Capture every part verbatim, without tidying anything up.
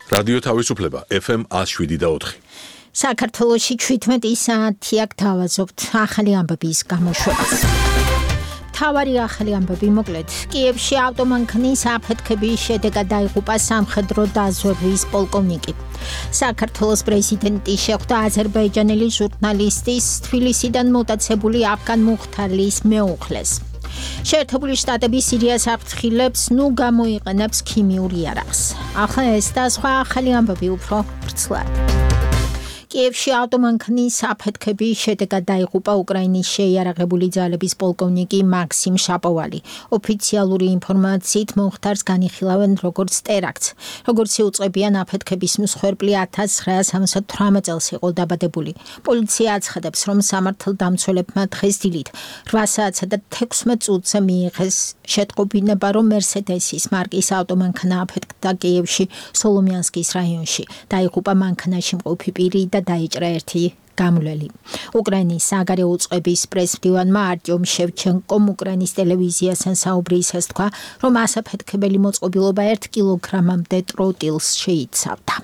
რადიო თავისუფლება ეფ ემ one oh seven და four. საქართველოში თერთმეტი საათი აქ დავაზობთ ახალი ამბების გამოშვებას. თავარი ახალი ამბები მოკლედ. კიევში ავტომანქანის აფეთქების შედეგად დაიღუპა სამხედრო დაზვერვის პოლკოვნიკი. საქართველოს პრეზიდენტი შეხვდა აზერბაიჯანელი ჟურნალისტის თბილისიდან მოტაცებული აფგან მუხთარლის მეუღლეს. შეერთებული შტატები სირიას აფრთხილებს, ნუ გამოიყენებს ქიმიურ იარაღს. ახლა ეს და სხვა ახალი ამბები უფრო ვრცლად. კიევში ავტომანქანის აფეთქების შედეგად დაიღუპა უკრაინის შეიარაღებული ძალების პოლკოვნიკი მაქსიმ შაპოვალი. ოფიციალური ინფორმაციით მომხდარს განიხილავენ როგორც ტერაქტს. როგორც იუწყებიან, აფეთქების მსხვერპლი one thousand nine hundred seventy-eight წელს იყო დაბადებული. პოლიცია აცხადებს, რომ სამართალდამცველებმა დღეს დილით eight საათსა და sixteen წუთზე მიიღეს შეტყობინება, რომ მერსედესის მარკის ავტომანქანა აფეთქდა კიევში სოლომიანსკის რაიონში. დაიღუპა მანქანაში მყოფი პირი და დაიჭრა ერთი გამვლელი. უკრაინის საგარეო უწყების პრესმდივანმა არტიომ შევჩენკომ უკრაინის ტელევიზიასთან საუბრისას თქვა, რომ ასაფეთქებელი მოწყობილობა one კილოგრამამდე ტროტილს შეიცავდა.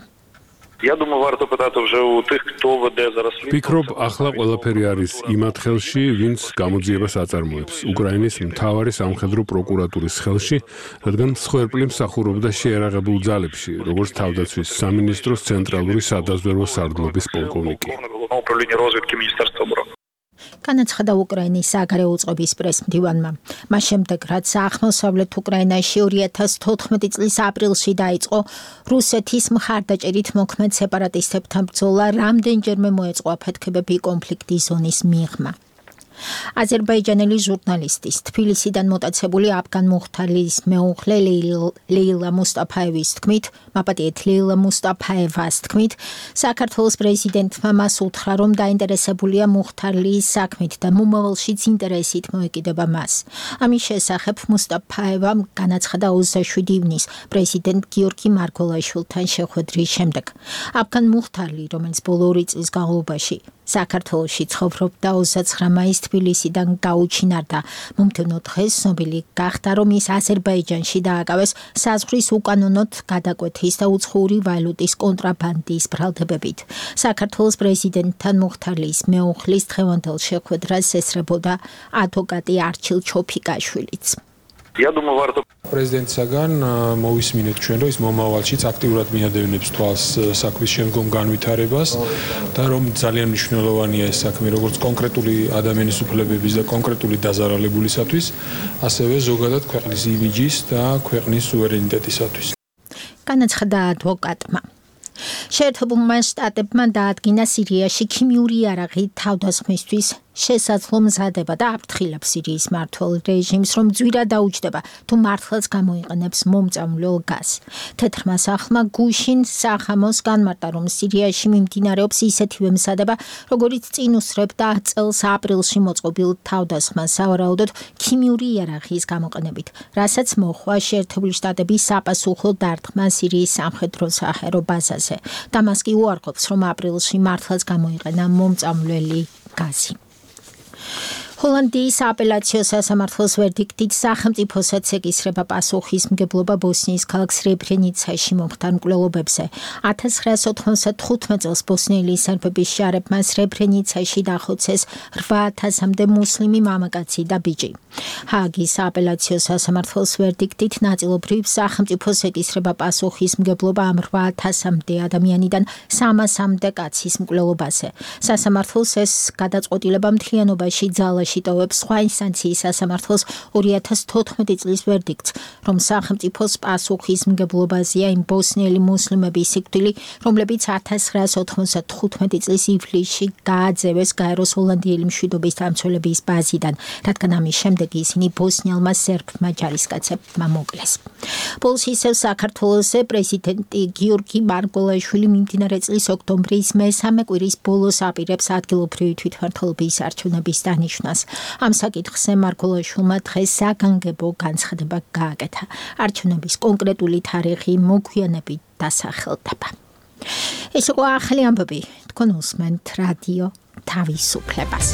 Я думаю, варто питати вже у тих, хто веде зараз слідство. Пікრობ, ახლა ყველაფერი არის იმათ ხელში, ვინც გამოძიებას აწარმოებს. უკრაინის მთავარი სამხედრო პროკურატურის ხელში, რადგან მსხვერპლი მსახურობდა შეიარაღებულ ძალებში, როგორც თავდაცვის სამინისტროს ცენტრალური სადაზვერვო სარდლობის პოლკოვნიკი. Управління розвідки Міністерства оборони. განაცხადა უკრაინის საგარეო უწყების პრესმდივანმა. მას შემდეგ, რაც აღმოსავლეთ უკრაინაში two thousand fourteen წლის აპრილში დაიწყო რუსეთის მხარდაჭერით მოქმედ სეპარატისტებთან ბრძოლა, რამდენჯერმე მოეწყო აფეთქებები კონფლიქტის ზონის მიღმა. აზერბაიჯანელი ჟურნალისტის თბილისიდან მოტაცებული აფგან მუხთარლის მეუღლე ლეილა მუსტაფაევის თქმით, მაპატიეთ ლეილა მუსტაფაევას თქმით, საქართველოს პრეზიდენტმა მას უთხრა, რომ დაინტერესებულია მუხთარლის საქმით და მომავალშიც ინტერესით მოეკიდება მას. ამის შესახებ მუსტაფაევამ განაცხადა twenty-seven ივნის პრეზიდენტ გიორგი მარგველაშვილთან შეხვედრის შემდეგ. აფგან მუხთარლი, რომელიც ბოლო ორი წლის განმავლობაში საქართველოში ცხოვრობდა, twenty-nine მაისს თბილისიდან გაუჩინარდა. მომდევნო დღეს ცნობილი გახდა, რომ ის აზერბაიჯანში დააკავეს საზღვრის უკანონოდ გადაკვეთის და უცხოური ვალუტის კონტრაბანდის ბრალდებებით. საქართველოს პრეზიდენტთან მუხთარლის მეუღლის დღევანდელ შეხვედრას ესწრებოდა ადვოკატი არჩილ ჩოფიკაშვილიც. Я думаю, варто პრეზიდენტისაგან მოვისმინეთ ჩვენ, რომ ის მომავალშიც აქტიურად მიადევნებს თვალს საქმის შემდგომ განვითარებას და რომ ძალიან მნიშვნელოვანია ეს საქმე როგორც კონკრეტული ადამიანის უფლებების და კონკრეტული დაზარალებულისათვის, ასევე ზოგადად ქვეყნის იმიჯის და ქვეყნის სუვერენიტეტისათვის. განაცხადა ადვოკატმა. შეერთებულმა შტატებმა დაადგინა სირიაში ქიმიური იარაღი თავდასხმისთვის შესაძლო მზადება და აფრთხილებს სირიის მმართველ რეჟიმს, რომ ძვირა დაუჯდება თუ მართლაც გამოიყენებს მომწამლულ გაზს. თეთრმა სახლმა გუშინ სახამოს განმარტა, რომ სირიაში მიმდინარეობს ისეთივე მზადება, როგორიც წინ უსწრებდა წელს აპრილში მოწყობილ თავდასხმას სავარაუდოდ ქიმიური იარაღის გამოყენებით, რასაც მოჰყვა შეერთებული შტატების საპასუხო დარტყმა სირიის სამხედრო საჰაერო ბაზაზე. დამასკი უარყოფს, რომ აპრილში მართლაც გამოიყენა მომწამლელი გაზი. ჰოლანდიის აპელაციო სასამართლოს ვერდიქტით სახელმწიფოსაც ეკისრება პასუხისმგებლობა ბოსნიის ქალაქ სრებრენიცაში მომხდარ მკვლელობებზე. nineteen ninety-five წელს ბოსნიელი სერბების შარებმა სრებრენიცაში დახოცეს eight thousand-მდე მუსლიმი მამაკაცი და ბიჭი. ჰააგის აპელაციო სასამართლოს ვერდიქტით ნაწილობრივ სახელმწიფოს ეკისრება პასუხისმგებლობა ამ eight thousand-მდე ადამიანიდან three hundred-მდე კაცის მკვლელობაზე. სასამართლოს ეს გადაწყვეტილება მთლიანობაში ძალაში შეტოვებს სხვა ინსტანციის სასამართლოს two thousand fourteen წლის ვერდიქტს, რომ სახელმწიფოს პასუხისმგებლობაზეა იმ ბოსნიელი მუსლიმების სიკვდილი, რომლებიც nineteen ninety-five წლის ივლისში გააძევეს გაეროს ჰოლანდიელი მშვიდობის დამცველების ბაზიდან, რადგან ამის შემდეგ ისინი ბოსნიელმა სერბმა ჯარისკაცებმა მოკლეს. ბოლოს ისევ საქართველოსზე პრეზიდენტი გიორგი მარგველაშვილი მიმდინარე წლის ოქტომბრის მესამე კვირის ბოლოს აპირებს ადგილობრივი თვითმმართველობის არჩევნების დანიშვნას. ამ საკითხზე მარგველაშვილმა დღეს საგანგებო განცხადება გააკეთა. არჩევნების კონკრეტული თარიღი მოგვიანებით დასახელდება. ეს იყო ახალი ამბები. თქვენ უსმენთ რადიო თავისუფლებას.